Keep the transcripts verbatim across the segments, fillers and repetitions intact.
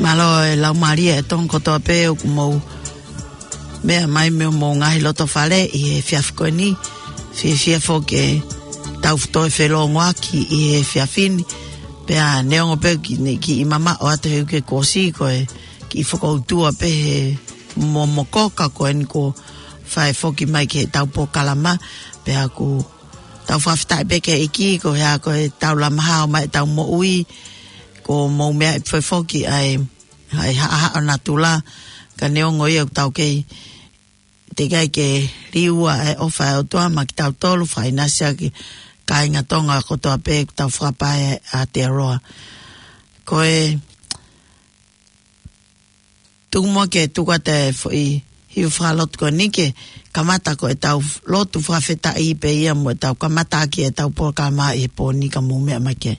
Mālō e laumālie ʻa e Tonga kotoa pē ʻoku mou meʻa mai mei homou ngaahi loto fale ʻi he efiafi ko eni. Fiefia foki ke tau toe felōngoaki ʻi he efiafi ni. Pea neongo pē ʻoku ne kiʻi mamaʻo atu he uike kuo ʻosi, ko e kiʻi fokoutua pē he momoko ka ko eni kuo fai foki mai ki heʻetau polokalama. Pea ʻoku tau fakafetaʻi pē ki he ʻEiki, ko e hā, ko ʻetau lama hao mai ʻetau moʻui, kuo mou meaʻi foki ʻa e, ʻa e haʻahaʻa ʻo natula, ka neongo ia ʻoku tau kei teʻeki ai ke liua e ʻofa ʻa e ʻOtua maʻa kitautolu, fakaʻinasi ʻa e kāinga Tonga kotoa pē ʻoku tau fakapae ʻa Aotearoa. Ko e tuku muʻa ke tuku atu e foʻi hiva fakalotu ko eni ke kamata ko ʻetau lotu fakafetaʻi pea mo ʻetau kamata ʻaki ʻetau polokalama ʻi he pō ni, ka mou meʻa mai ki ai.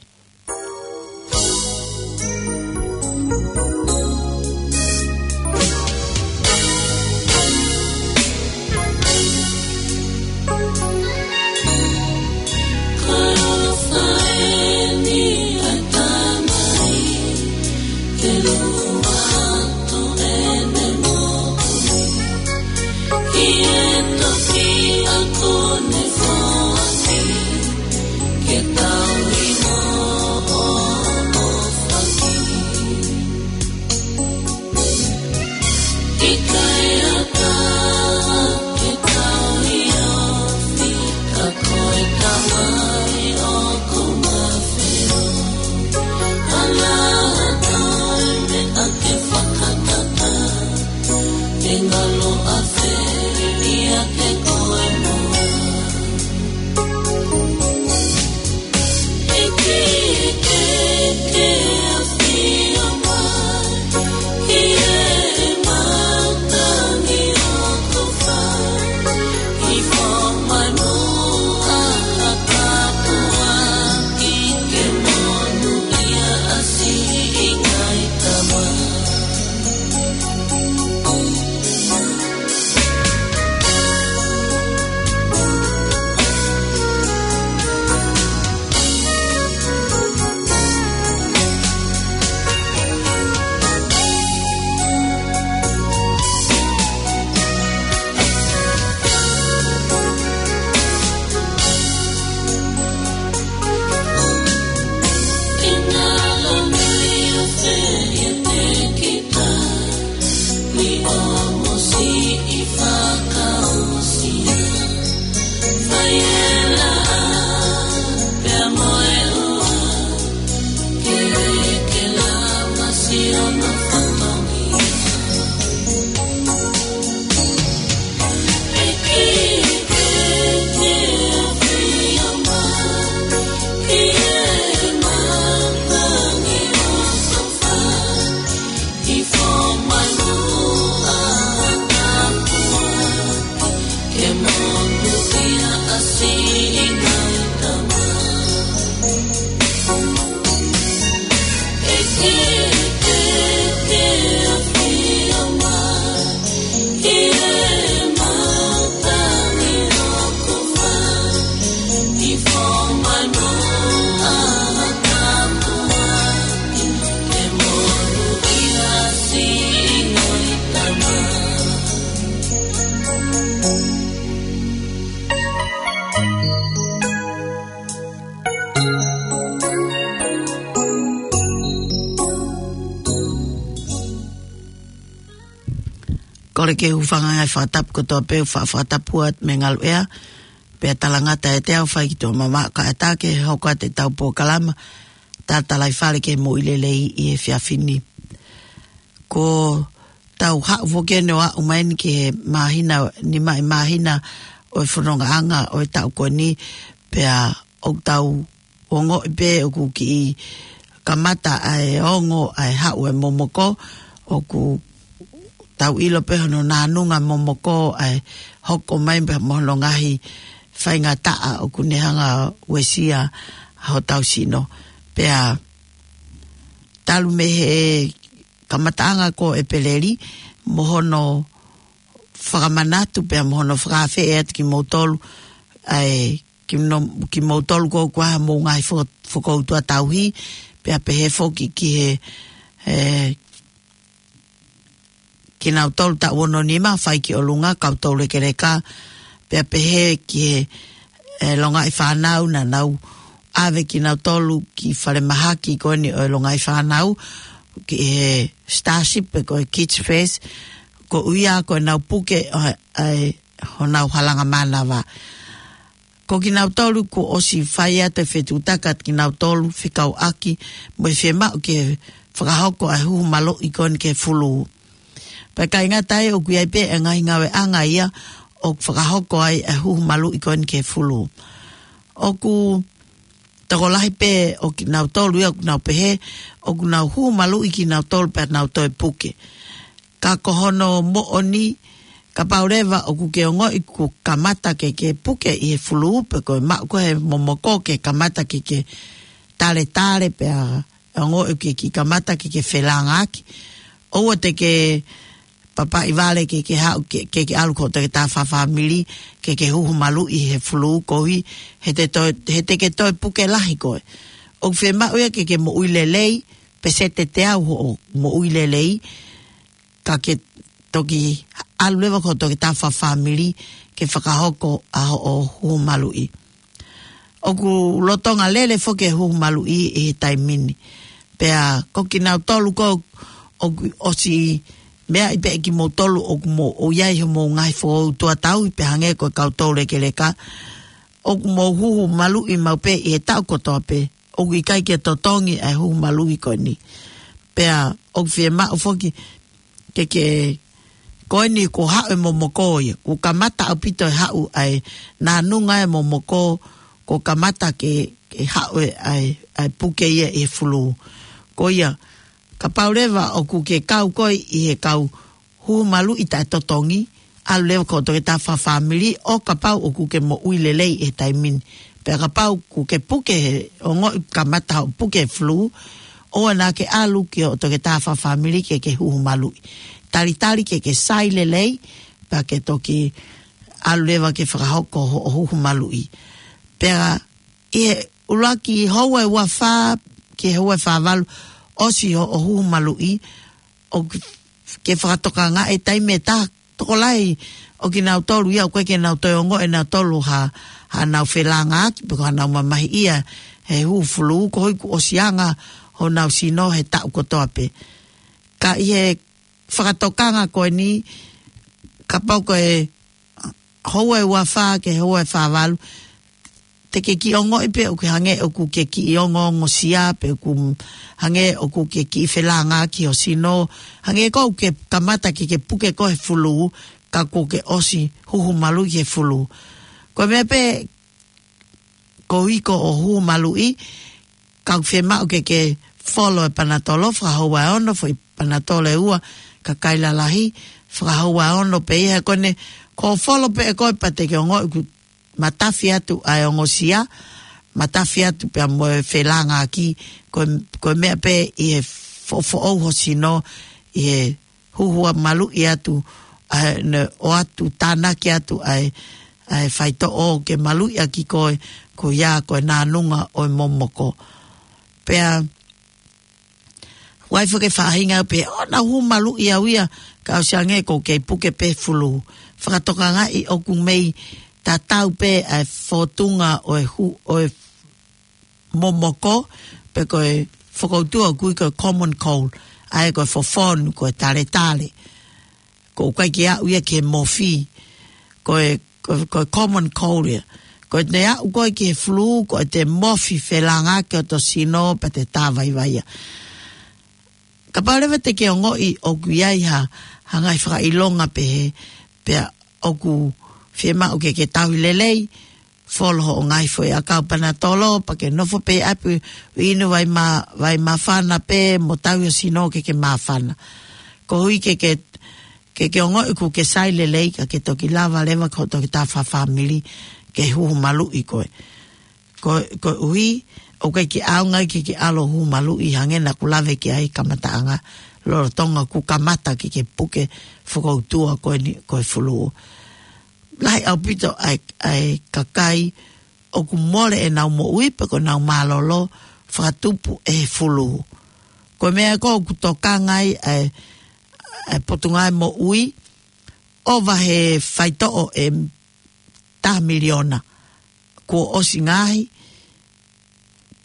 Kole ke u hūfanga he fakatapu kotoa pē, fa-, fakatapu atu mei he ngaluʻea, pea talangata ʻiate au fai ki tuʻa mamaʻo kae ʻatā ke hoko atu ʻetau polokalama, Tatalaifale ki he Moʻui Lelei ʻi he efiafi ni. Ko ʻetau haʻu foki eni ʻo aʻu mai eni ki he māhina, nima ʻi māhina ʻo e fonongaʻanga ʻo e taʻu ko eni, pea ʻoku tau ongoʻi pē ʻoku kiʻi kamata ʻa e ongo ʻa e haʻu e momoko, ʻoku tau ʻilo pē hono nānunga momoko ʻa e hoko mai pē mo hono ngaahi faingataʻa ʻoku ne hanga uesia hotau sino. Pea talu mei he kamataʻanga ko ʻEpeleli, mo hono fakamanatu pea mo hono fakaafeʻi atu kimoutolu, ʻa e, kino-, kimoutolu ko ʻoku ʻi ai hamou ngaahi fo-, fokoutua tauhi, pea pehē foki ki he, e, kinautolu taʻu ono nima, fai ki ʻolunga, kau toulekeleka, pea pehē ki he, e, longaʻi fānau naʻa nau ʻave kinautolu ki falemahaki ko eni ʻo e longaʻi fānau, ki he Starship pe ko e Kids Fest, koeʻuhi ko ʻenau puke ʻo e, ʻa e, honau halanga mānava. Ko kinautolu kuo ʻosi fai atu e fetuʻutaki atu kinautolu fekauʻaki mo e fiemaʻu ke fakahoko ʻa e huhu maluʻi ko eni ki he fulū. Pea ʻikai ngata ai ʻoku ʻi ai pē e ngaahi ngāueʻanga ia ʻoku fakahoko ai e huhu maluʻi ko eni ki he fulū. ʻOku tokolahi pē ʻo kinautolu ia ʻoku nau pehē, ʻoku nau huhu maluʻi kinautolu pea nau toe puke. Ka ko hono moʻoni, kapau leva ʻoku ke ongoʻi kuo kamata ke ke puke ʻi he fulū pe ko e maʻu ko ē he momoko ke kamata ke ke taletale pea ongoʻi ke ke kamata ke ke felāngaaki. ʻOua te ke papaʻi vale ke ke haʻu ke, ke ke ʻalu ki hoʻo toketā fakafāmili ke ke huhu maluʻi he fulū koeʻuhi he te toe, he te ke toe puke lahi koe. ʻOku fiemaʻu ia ke ke moʻui lelei, peseti ʻe teau hoʻo moʻui lelei, ka ke toki ʻalu leva ki hoʻo toketā fakafāmili ke fakahoko ʻa hoʻo huhu maluʻi. ʻOku lolotonga lele foki e huhu maluʻi ʻi he taimi ni. Pea ko kinautolu ko ē ʻoku ʻosi meaʻi pē kimoutolu ʻoku mou ʻi ai homou ngaahi fokoutua tauhi pea hangē ko e kau toulekeleka, ʻoku mou huhu maluʻi maʻu pē ʻi he taʻu kotoa pē, ʻoku ʻikai ke totongi ʻa e huhu maluʻi ko eni. Pea ʻoku fiemaʻu foki ke ke, ko eni kuo haʻu e momoko ia, kuo kamata ʻaupito e haʻu ʻa e nānunga e momoko, kuo kamata ke, ke haʻu e ʻa e, ʻa e puke ia ʻi he fulū. Ko ia, kapau leva ʻoku ke kau koe ʻi he kau huhu maluʻi taʻetotongi, ʻalu leva ki hoʻo toketā fakafāmili ʻo kapau ʻoku ke moʻui lelei ʻi he taimi ni. Pea kapau kuo ke puke he ongoʻi kamata hoʻo puke he fulū, ʻoua naʻa ke ʻalu ki hoʻo toketā fakafāmili ke ke huhu maluʻi. Talitali ke ke sai lelei, pea ke toki ʻalu leva ke fakahoko hoʻo huhu maluʻi. Pea ʻi he ʻuluaki houa ʻe ua fā ki he houa ʻe fā valu ʻosi hoʻo huhu maluʻi, ʻoku ke fakatokangaʻi e taimi ʻe taha, tokolahi ʻo kinautolu ia ʻoku ʻikai ke nau toe ongoʻi ʻe nautolu ha, haʻanau felāngaaki pe ko haʻanau mamahiʻia he huhu fulū koeʻuhi kuo ʻosi anga honau sino he taʻu kotoa pē. Ka ʻi he fakatokanga ko eni, kapau ko e houa ʻe ua fā ki he houa ʻe fā valu, te ke kiʻi ongoʻi pē ʻoku hangē ʻoku ke kiʻi ongoongosia pe ʻoku hangē ʻoku ke kiʻi felāngaaki ho sino, hangē ko ē ʻoku ke kamata ke ke puke koe he fulū, ka kuo ke ʻosi huhu maluʻi he fulū. Ko e meʻa pē koeʻuhi ko hoʻo huhu maluʻi, ka ʻoku fiemaʻu ke ke folo e panatolo, fakahoua ʻe ono, foʻi panatolo ʻe ua, kakai lalahi, fakahoua ʻe ono pē ia he ko eni, ko e folo pē ʻe koe pea te ke ongoʻi ʻoku matafi atu ʻa e ongosia, matafi atu pea mo e felāngaaki, ko e, ko e meʻa pē ʻi he foʻofoʻou ho sino, ʻi he huhu maluʻi atu, ʻa e, ne, ʻoatu tānaki atu ʻa e, ʻa e faitoʻo ke maluʻi ʻaki koe, ko ia ko e nānunga ʻo e momoko. Pea, ʻoku ʻi ai foki e faʻahinga pē, ʻoku nau huhu maluʻi au ia, ka ʻosi ange ʻoku kei puke pē fulū. Fakatokangaʻi ʻoku mei tatau pē ʻa e fōtunga ʻo e hu-, ʻo e momoko, pe ko e fokoutua ʻoku ui ko e common cold, ʻa ia ko e fofonu, ko e taletale. Ko e ʻikai ke aʻu ia ki he mofi, ko e, ko e, ko e common cold ia. Ko ʻete aʻu koe ki he fulū, ko ʻete mofi felāngaaki hoto sino pea te tāvaivaia. Kapau leva te ke ongoʻi ʻoku ʻi ai ha, ha ngaahi fakaʻilonga pehē, pea ʻoku fiemaʻu ke ke tauhi lelei, folo hoʻo ngaahi foʻi ʻakau panatolo, pea ke nofo pē ʻi ʻapi ʻo inu vai mā-, vai māfana pē, mo tauhi ho sino ke ke māfana. Koeʻuhi ke ke, ke ke ongoʻi ʻoku ke sai lelei ka ke toki lava leva ki hoʻo toketā fakafāmili ke huhu maluʻi koe. Ko, koeʻuhi, ʻoku ʻikai ke ʻaonga ke ke ʻalu ʻo huhu maluʻi hangē naʻa ku lave ki ai he kamataʻanga, lolotonga kuo kamata ke ke puke fokoutua ko eni ko e fulū. Lahi ʻaupito ʻa e, ʻa e kakai ʻoku mole ʻenau moʻui pe ko ʻenau mālōlō fakatupu ʻe he fulū. Ko e meʻa ko ē ʻoku tokanga ai ʻa e, ʻa e Potungāue Moʻui, ʻova he faitoʻo ʻe taha miliona. Kuo ʻosi ngaohi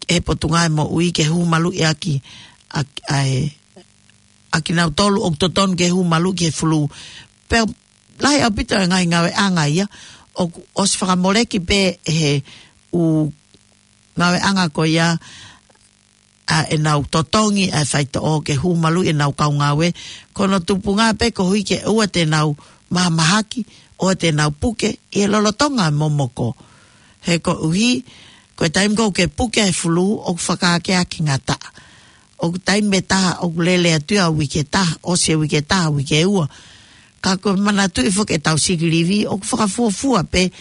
ʻe he Potungāue Moʻui ke huhu maluʻi ʻaki, ʻa, ʻa e, ʻa kinautolu ʻoku totonu ke huhu maluʻi ki he fulū. Pea lahi ʻaupito e ngaahi ngāueʻanga ia, ʻoku ʻosi fakamoleki pē ʻe he ʻū ngāueʻanga ko ia, ʻa ʻenau totongi ʻa e faitoʻo ke huhu maluʻi ʻenau kau ngāue. Ko hono tupunga pē koeʻuhi ke ʻoua te nau mahamahaki, ʻoua te nau puke ʻi he lolotonga e momoko. He koeʻuhi, ko e taimi ko ē ʻoku ke puke he fulū, ʻoku fakaakeake ngataʻa. ʻOku taimi ʻe taha ʻoku lele atu ia uike ʻe taha, ʻosi e uike ʻe taha, uike ʻe ua. Ka ko e manatuʻi foki ʻetau sick leave, ʻoku fakafuofua pē,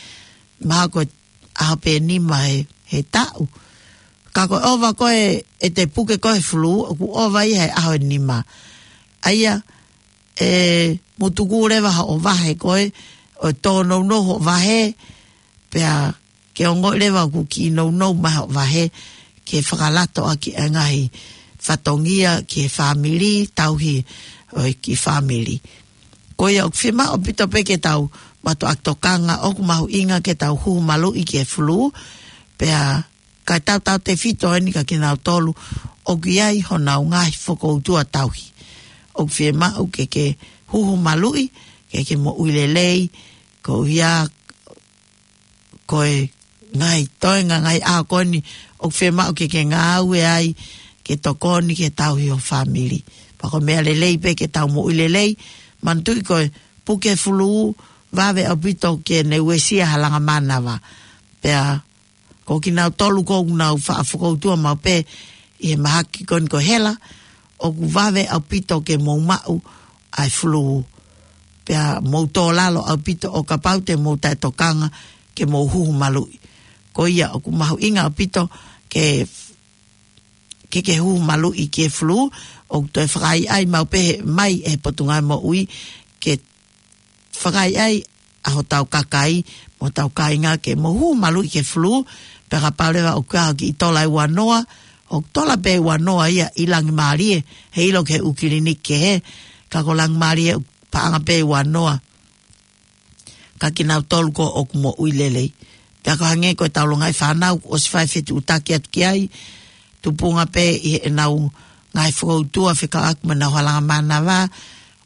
mahalo ko e ʻaho pē ʻe nima he, he taʻu. Ka ko e ʻova ko ē ʻete puke ko ē he fulū, ʻoku ʻova ia he ʻaho ʻe nima. ʻA ia, ʻe mutuku leva hoʻo vahe ko ē, ʻo tōnounou hoʻo vahe, pea ke ongoʻi leva ʻoku kiʻi nounou mai hoʻo vahe, ke fakalato ʻaki e ngaahi fatongia ki he fāmili, tauhi ʻo e kiʻi fāmili. Ko ia ʻoku fiemaʻu ʻaupito pē ke tau mātuʻaki tokanga, ʻoku mahuʻinga ke tau huhu maluʻi ki he fulū, pea ka tau tautefito eni kia kinautolu ʻoku ʻi ai honau ngaahi fokoutua tauhi. ʻOku fiemaʻu ke ke huhu maluʻi, ke ke moʻui lelei, koeʻuhi ko e ngaahi toenga, ngaahi ʻaho ko eni ʻoku fiemaʻu ke ke ngāue ai, ke tokoni ke tauhi ho fāmili. Pea ko e meʻa lelei pē ke tau moʻui lelei, manatuʻi ko e puke fulū, vave ʻaupito ke ne uesia ha langa mānava. Pea ko kinautolu ʻoku nau faʻa fokoutua maʻu pē ʻi he mahaki ko eni ko e hela, ʻoku vave ʻaupito ke mou maʻu ʻa e fulū. Pea mou tō lalo ʻaupito ʻo kapau te mou taʻetokanga ke mou huhu maluʻi. Ko ia ʻoku mahuʻinga ʻaupito ke, ke ke huhu maluʻi ki he fulū, ʻoku toe fakaʻaiʻai maʻu pē mai ʻe he Potungāue Moʻui ke fakaʻaiʻai ʻa hotau kakai, mo hotau kāinga ke mou huhu maluʻi ki he fulū, pea kapau leva ʻoku ʻi ai ha kiʻi tola ʻe ua noa, ʻoku tola pē ʻe ua noa ia ʻi Langimālie, heiʻilo ki he ʻū kiliniki kehe, ka ko Langimālie ʻoku paʻanga pē ʻe ua noa kia kinautolu ko ē ʻoku moʻui lelei. Pea ko e hangē ko ʻetau longaʻi fānau, ʻosi fai e fetuʻutaki atu ki ai, tupunga pē ʻi heʻenau ngaahi fokoutua fekauʻaki mo ʻenau ha langa mānava,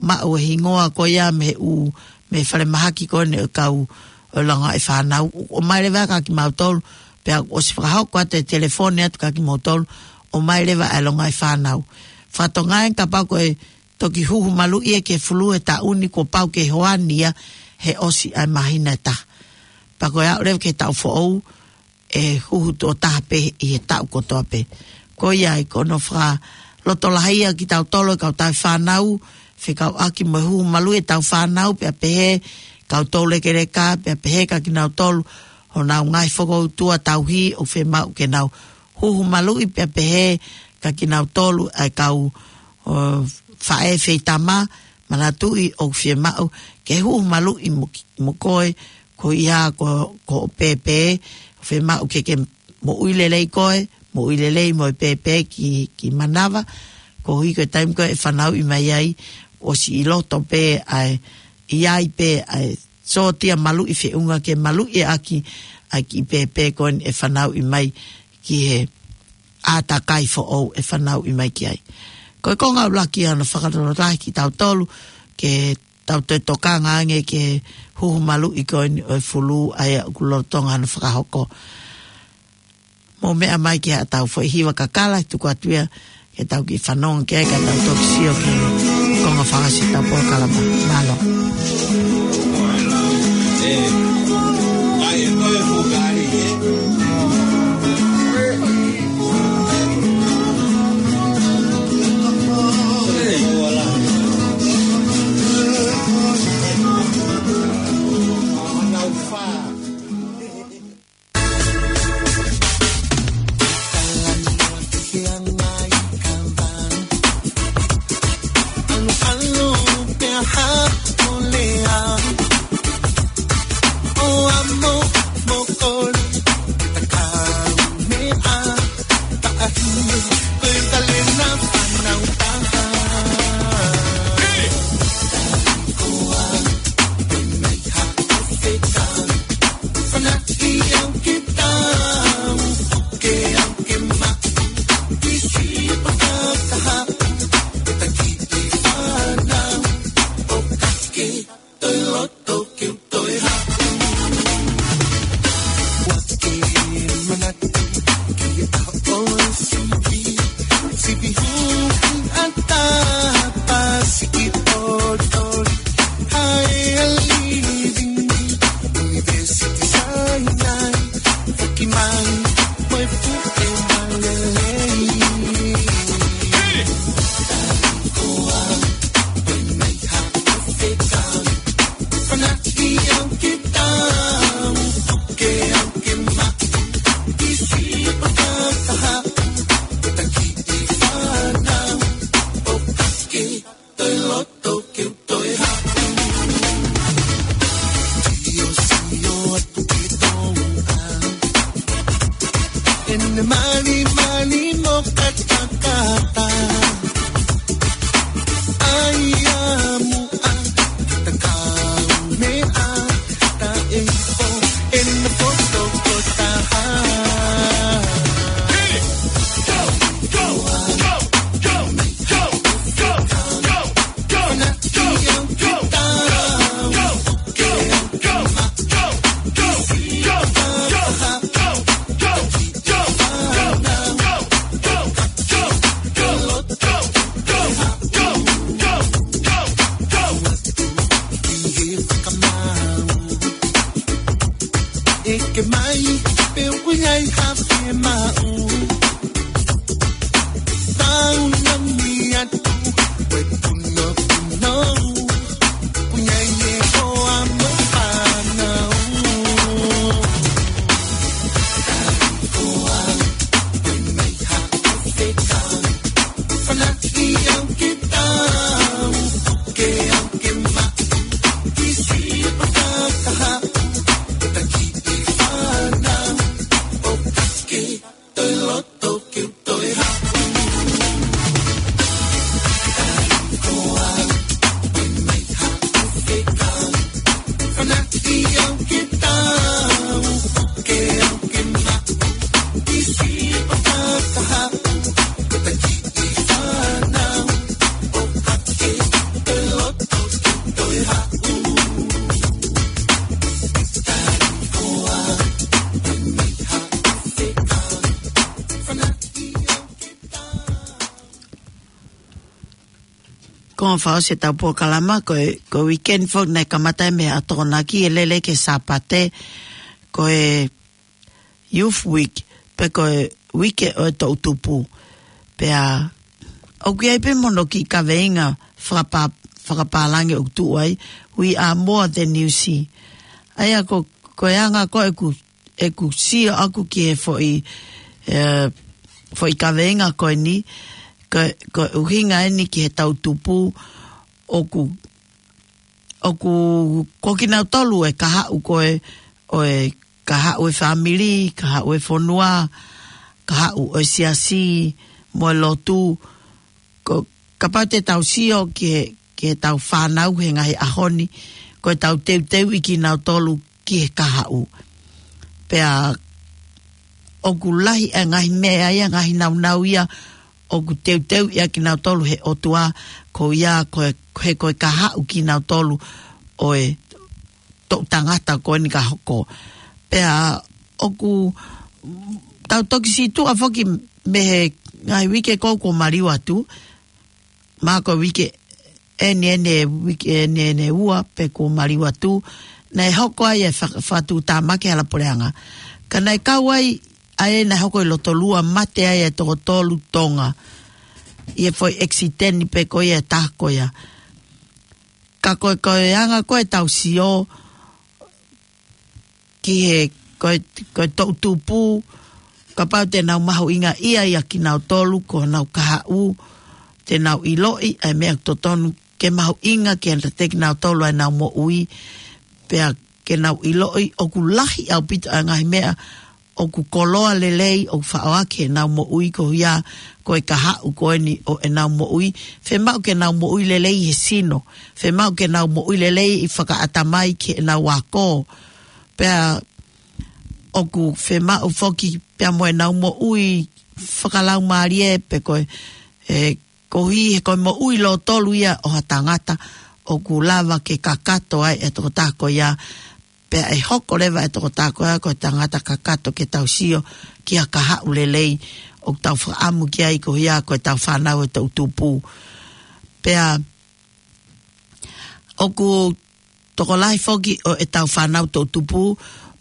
maʻu e hingoa ko ia mei he ʻū, mei he falemahaki ko eni ʻo e kau ʻo e longaʻi fānau, ʻomai leva kia kimautolu, pea ʻosi fakahoko atu e telefoni atu kia kimautolu, ʻomai leva e longaʻi fānau. Fatongia kapau ko e toki huhu maluʻi ia ki he fulū he taʻu ni, kuo pau ke hoani ia he ʻosi ʻa e māhina ʻe taha. Pea ko e aʻu leva ki he taʻu foʻou, ʻe huhu tuʻo taha pē ʻi he taʻu kotoa pē. Ko ia ai ko hono fakalotolahi ia kia kitautolu e kau tauhi fānau, fekauʻaki mo e huhu maluʻi ʻetau fānau, pea pehē kau toulekeleka, pea pehē kia kinautolu honau ngaahi fokoutua tauhi ʻoku fiemaʻu ke nau huhu maluʻi, pea pehē kia kinautolu ʻa e kau, ʻo, faʻē feitama, manatuʻi ʻoku fiemaʻu ke huhu maluʻi mo, mo koe, ko ia ko, ko e pēpē, fiemaʻu ke ke moʻui lelei koe, moʻui lelei mo e pēpē ki, ki manava, koeʻuhi ko e taimi ko ē ʻe fanauʻi mai ai, ʻosi ʻi loto pē ʻa e, ʻi ai pē ʻa e sōtia maluʻi feʻunga ke maluʻi ʻaki ʻa e kiʻi pēpē ko eni ʻe fanauʻi mai ki he ʻātakai foʻou ʻe fanauʻi mai ki ai. Ko e konga ʻuluaki ʻa hono fakalotolahi kia kitautolu, ke tau toe tokanga ange ki he huhu maluʻi ko eni ʻo e fulū ʻa ia ʻoku lolotonga hono fakahoko. Mou meʻa mai ki haʻatau foʻi hiva kakala, tuku atu ia ke tau kiʻi fanongo ki ai ka tau toki sio ki he konga fakaʻosi ʻetau polokalama. Mālō. Mai, pe ʻoku ʻi ai ha fiemaʻu. Tau nami atu, ʻe puno puno. Puno ʻi he hoa mo e fānau. Koa, pe mai ha fekau. Fanaʻi au ke tau, ke au ke maʻu. Kisi paka kaha, taki e fānau, ʻo kake, toe loto ke toe haʻu. Fanaʻi au ke tau, ke au ke maʻu. Kisi paka kaha, taki e fānau, ʻo kake, toe loto ke toe haʻu. Ko e fakaʻosi ʻetau polokalama, ko e, ko e weekend foki naʻe kamata mei he ʻaho Tokonaki ʻo lele ki he Sāpate, ko e Youth Week, pe ko e uike ʻo e toʻu tupu. Pea, ʻoku ʻi ai pē mo hono kiʻi kaveinga fakapā-, fakapālangi ʻoku tuʻu ai, "We are more than you see." ʻA ia ko, ko e anga ko ē ʻeku, ʻeku sio ʻaku ki he foʻi, ē, foʻi kaveinga ko eni, ko, ko e ʻuhinga eni ki he toʻu tupu ʻoku, ʻoku, ko kinautolu e kahaʻu ko ē, ʻo e kahaʻu e fāmili, kahaʻu e fonua, kahaʻu ʻo e siasi, mo e lotu, ko, kapau te tau sio ki he, ki heʻetau fānau he ngaahi ʻaho ni, ko ʻetau teuteuʻi kinautolu ki he kahaʻu. Pea ʻoku lahi e ngaahi meʻa ia, ngaahi nāunau ia, ʻoku teuteuʻi ʻaki kinautolu he ʻOtua, ko ia, ko e, he ko e kahaʻu kinautolu ʻo e toʻu tangata ko eni ka hoko. Pea ʻoku tau toki situʻa foki mei he ngaahi uike ko ē kuo maliu atu, mahalo ko e uike eni eni, uike eni eni ua pē kuo maliu atu, naʻe hoko ai e fa-, fakatuʻutāmaki hala puleʻanga. Ka naʻe kau ai, ʻa ē naʻe hoko ʻi Lotolua, mate ai e toko tolu Tonga. ʻI he foʻi ʻekisiteni pē ko ia e taha ko ia. Ka ko e, ko e anga ko ē ʻetau sio ki he, ko e, ko e toʻu tupu, kapau te nau mahuʻingaʻia ʻia kinautolu ko honau kahaʻu, te nau ʻiloʻi ʻa e meʻa totonu ke mahuʻinga ke angataki kinautolu ʻa ʻenau moʻui, pea ke nau ʻiloʻi ʻoku lahi ʻaupito ʻa e ngaahi meʻa ʻoku koloa lelei, ʻoku faʻo ʻaki ʻenau moʻui ko ia, ko e kahaʻu ko eni ʻo ʻenau moʻui. Fiemaʻu ke nau moʻui lelei he sino. Fiemaʻu ke nau moʻui lelei ʻi fakaʻatamai ki heʻenau ako. Pea ʻoku fiemaʻu foki pea mo ʻenau moʻui fakalaumālie pe ko e, e, koeʻuhi he ko e moʻui lōtolu ia ʻo ha tangata ʻoku lava ke kakato ai e tokotaha ko ia, pea ʻe hoko leva e tokotaha ko ia ko e tangata kakato ke tau sio ki ha kahaʻu lelei ʻoku tau fakaʻamu ki ai ko ia ko ʻetau fānau e toʻu tupu. Pea ʻoku tokolahi foki ʻo ʻetau fānau toʻu tupu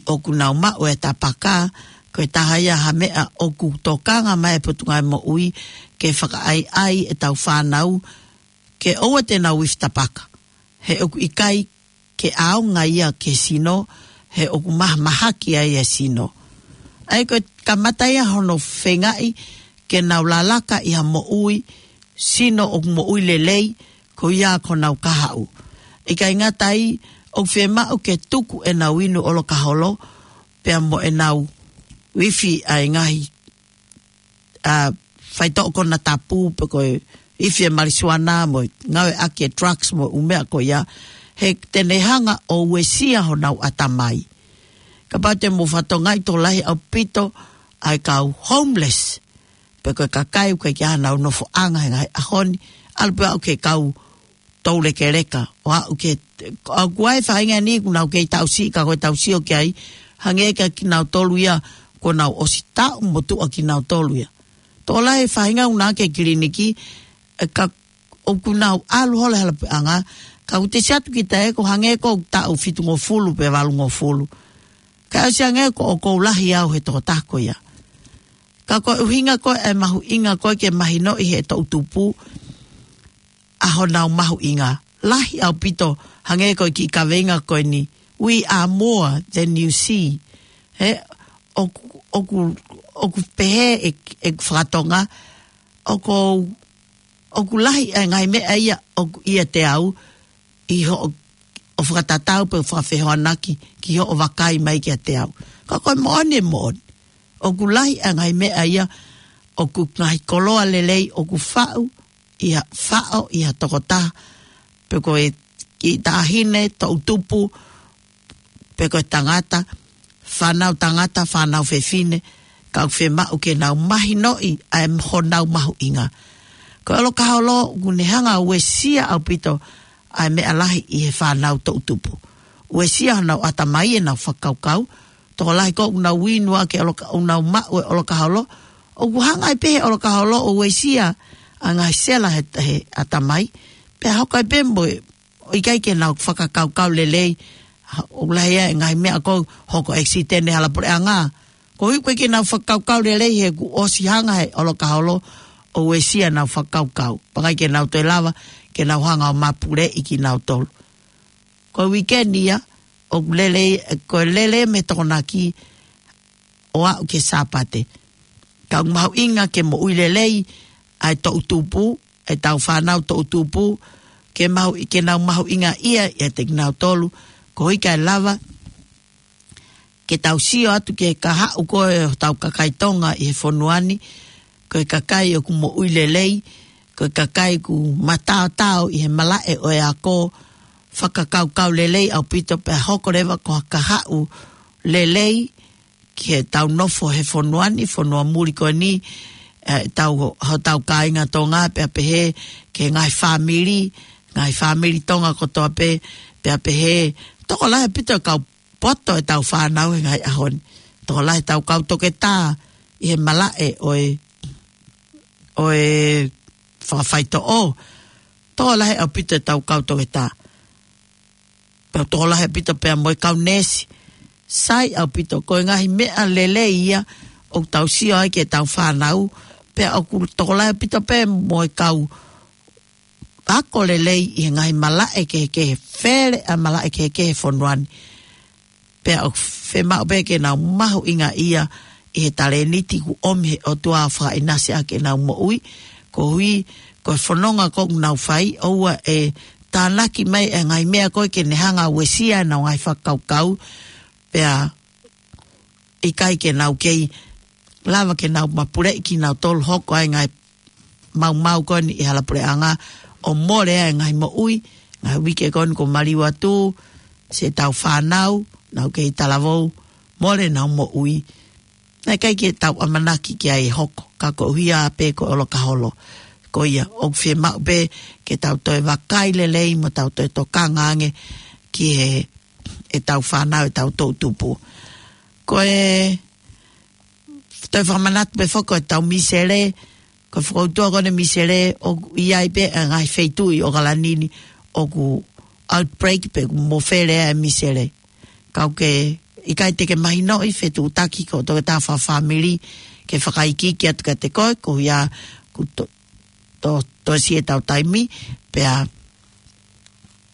ʻoku nau maʻu e tapaka, ko e taha ia ha meʻa ʻoku tokanga mai e Potungāue Moʻui ke fakaʻaiʻai ʻetau fānau ke ʻoua te nau ifi tapaka. He ʻoku ʻikai ke ʻaonga ia ki he sino, he ʻoku mahamahaki ai e sino. ʻA ia ko e kamata ia hono feingaʻi ke nau lalaka ʻi ha moʻui, sino ʻoku moʻui lelei, ko ia ko honau kahaʻu. ʻIkai ngata ai, ʻoku fiemaʻu ke tuku ʻenau inu ʻolokaholo, pea mo ʻenau ifi ʻa e ngaahi, ʻa, faitoʻo konatapu pe ko e ifi e malisuana mo e ngāueʻaki e drugs mo e ʻū meʻa ko ia, he te ne hanga ʻo uesia honau ʻatamai. Kapau te mou fakatokangaʻi tokolahi ʻaupito ʻa e kau homeless, pe ko e kakai ʻoku ʻikai ke ʻi ai haʻanau nofoʻanga he ngaahi ʻaho ni, ʻalu pē ʻo aʻu ki he kau toulekeleka, ʻo aʻu ki he, ʻoku ʻi ai e faʻahinga ni ʻoku nau kei taʻu siʻi ka ko e tau sio ki ai, hangē kia kinautolu ia kuo nau ʻosi taʻu motuʻa kinautolu ia. Tokolahi e faʻahinga ʻoku nau ʻalu ki he kiliniki, ʻe ka ʻoku nau ʻalu holo he hala puleʻanga, ka ʻoku te siʻi atu kita ē ko e hangē ko e taʻu fitungofulu pe valungofulu. Ka ʻosi ange ko ʻoku ou lahi au he tokotaha ko ia. Ka ko e ʻuhinga ko ē ʻa e mahuʻinga ko ē ke mahinoʻi he toʻutupu ʻa honau mahuʻinga. Lahi ʻaupito hangē ko e kiʻi kaveinga ko eni. We are more than you see. He, ʻoku, ʻoku, ʻoku pehē ʻe, ʻe fakatonga, ʻoku, ʻoku lahi ʻa e ngaahi meʻa ia ʻoku ʻiate au, ʻi hoʻo, ʻo fakatatau pe ʻo fakafehoanaki ki hoʻo vakai mai kiate au. Ka ko e moʻoni ʻe moʻoni. ʻOku lahi ʻa e ngaahi meʻa ia, ʻoku ngaahi koloa lelei, ʻoku faʻu, ʻi ha, faʻo, ʻi ha tokotaha, pe ko e kiʻi taʻahine, toʻutupu, pe ko e tangata, fānau tangata, fānau fefine, ka ʻoku fiemaʻu ke nau mahinoʻi ʻa e honau mahuʻinga. Ko e ʻolokaholo, ʻoku ne hanga ʻo uesia ʻaupito ʻa e meʻa lahi ʻi he fānau toʻutupu. Uesia honau ʻatamai ʻenau fakakaukau, tokolahi ko ē ʻoku nau inu ʻa e ʻoloka-, ʻoku nau maʻu e ʻolokaholo, ʻoku hanga ai pē he ʻolokaholo ʻo uesia ʻa e ngaahi sela he, he ʻatamai, pea hoko ai pē mo e ʻikai ke nau fakakaukau lelei, ʻoku lahi ʻa e ngaahi meʻa ko ē hoko ʻekisiteni he hala puleʻanga. Koeʻuhi ʻoku ʻikai ke nau fakakaukau lelei he kuo ʻosi hanga he ʻolokaholo ʻo uesia ʻenau fakakaukau. Pea ʻikai ke nau toe lava, ke nau hanga ʻo mapuleʻi kinautolu. Ko e uike ni ia, ʻoku lele, ko e lele mei Tokonaki ʻo aʻu ki he Sāpate. Ka ʻoku mahuʻinga ke moʻui lelei ʻa e toʻutupu, ʻetau fānau toʻutupu, ke mahu-, ke nau mahuʻingaʻia ʻiate kinautolu, koeʻuhi kae lava ke tau sio atu ki he kahaʻu ko ē ʻo hotau kakai Tonga ʻi he fonua ni, ko e kakai ʻoku moʻui lelei, ko e kakai ʻoku mataotao ʻi he malaʻe ʻo e ako, fakakaukau lelei ʻaupito pea hoko leva ko ha kahaʻu lelei ki heʻetau nofo he fonua ni, fonua muli ko eni, ʻetau, hotau kāinga Tonga pea pehē ki he ngaahi fāmili, ngaahi fāmili Tonga kotoa pē, pea pehē, tokolahi ʻaupito e kau poto ʻetau fānau he ngaahi ʻaho ni. Tokolahi ʻetau kau toketā ʻi he malaʻe ʻo e, ʻo e fakafaitoʻo. Tokolahi ʻaupito ʻetau kau toketā. Pea tokolahi ʻaupito pea mo e kau neesi. Sai ʻaupito, ko e ngaahi meʻa lelei ia ʻoku tau sio ai ki heʻetau fānau. Pea ʻoku tokolahi ʻaupito pē mo e kau ako lelei ʻi he ngaahi malaʻe kehekehe, fele ʻa e malaʻe kehekehe he fonua ni. Pea ʻoku fiemaʻu pē ke nau mahuʻingaʻia ʻi he talēniti kuo ʻomi he ʻOtua ʻo fakaʻinasi ʻaki ʻenau moʻui, koeʻuhi ko e fononga ko ē ʻoku nau fai, ʻoua ʻe tānaki mai ʻa e ngaahi meʻa ko ē ke ne hanga ʻo uesia ʻenau ngaahi fakakaukau, pea ʻikai ke nau kei lava ke nau mapuleʻi kinautolu, hoko ai e ngaahi maumau ko eni ʻi he hala puleʻanga ʻo mole ai e ngaahi moʻui, ngaahi uike ko eni kuo maliu atu, siʻetau fānau, nau kei talavou, mole ʻenau moʻui. Naʻe ʻikai ke tau ʻamanaki ki ai ʻe hoko, ka koeʻuhi pē ko e ʻolokaholo. Ko ia, ʻoku fiemaʻu pē ke tau toe vakai lelei mo tau toe tokanga ange ki he, ʻetau fānau, ʻetau toʻutupu. Ko e toe fakamanatu pē foki ko ʻetau misele, ko e fokoutua ko eni e misele, ʻoku ʻi ai pē ʻa e ngaahi feituʻu ʻi ʻOkalani ni ʻoku outbreak pe ʻoku mofele ai e misele. Ka ʻoku ʻikai te ke mahinoʻi, fetuʻutaki ki ho toketā fakafāmili ke fakaikiiki atu kiate koe, koeʻuhi kuo to-, to-, toesi ʻetau taimi, pea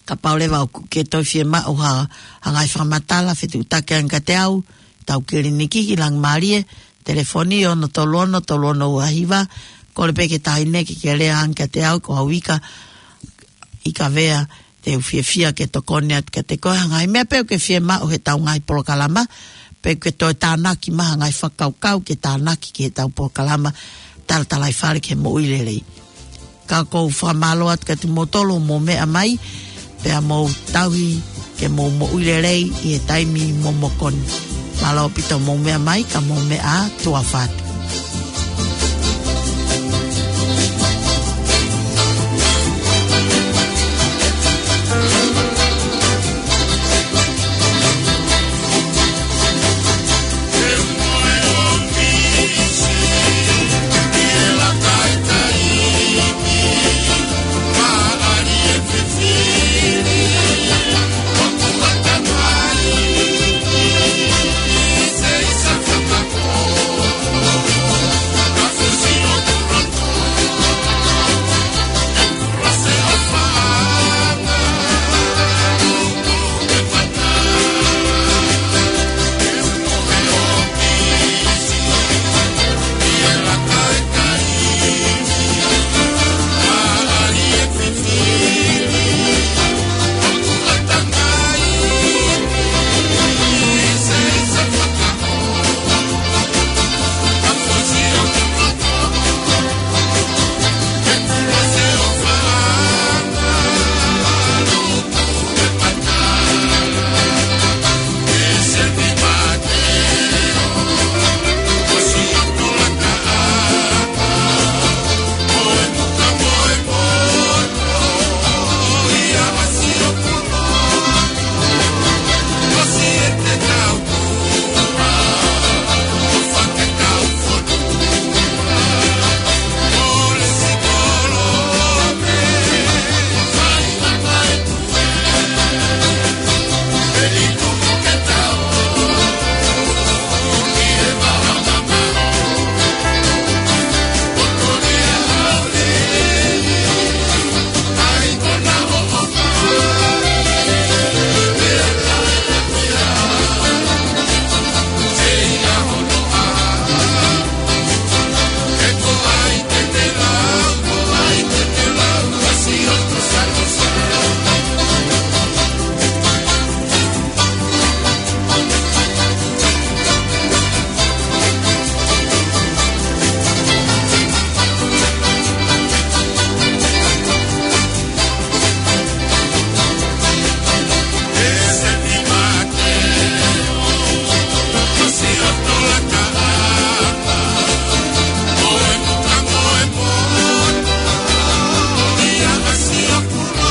kapau leva ʻoku ke toe fiemaʻu ha, ha ngaahi fakamatala, fetuʻutaki ange kiate au, ʻetau kiliniki ʻi Langimalie, telefoni ono tolu ono tolu ono ua hiva, kole pē ki he taʻahine ke ke lea ange kiate au, ko au Ika, Ika Vea, te u fiefia ke tokoni atu kiate koe, ha ngaahi meʻa pē ʻoku ke fiemaʻu heʻetau ngaahi polokalama, pe ʻoku ke toe tānaki mai ha ngaahi fakakaukau ke tānaki ki heʻetau polokalama, Talatalaifale ki he Moʻui Lelei. Ka ʻoku ou fakamālō atu kiate kimoutolu hoʻomou meʻa mai, pea mou tauhi ke mou moʻui lelei ʻi he taimi momoko ni. Mālō ʻaupito hoʻomou meʻa mai, ka mou meʻa ā, tuʻa ʻofa atu.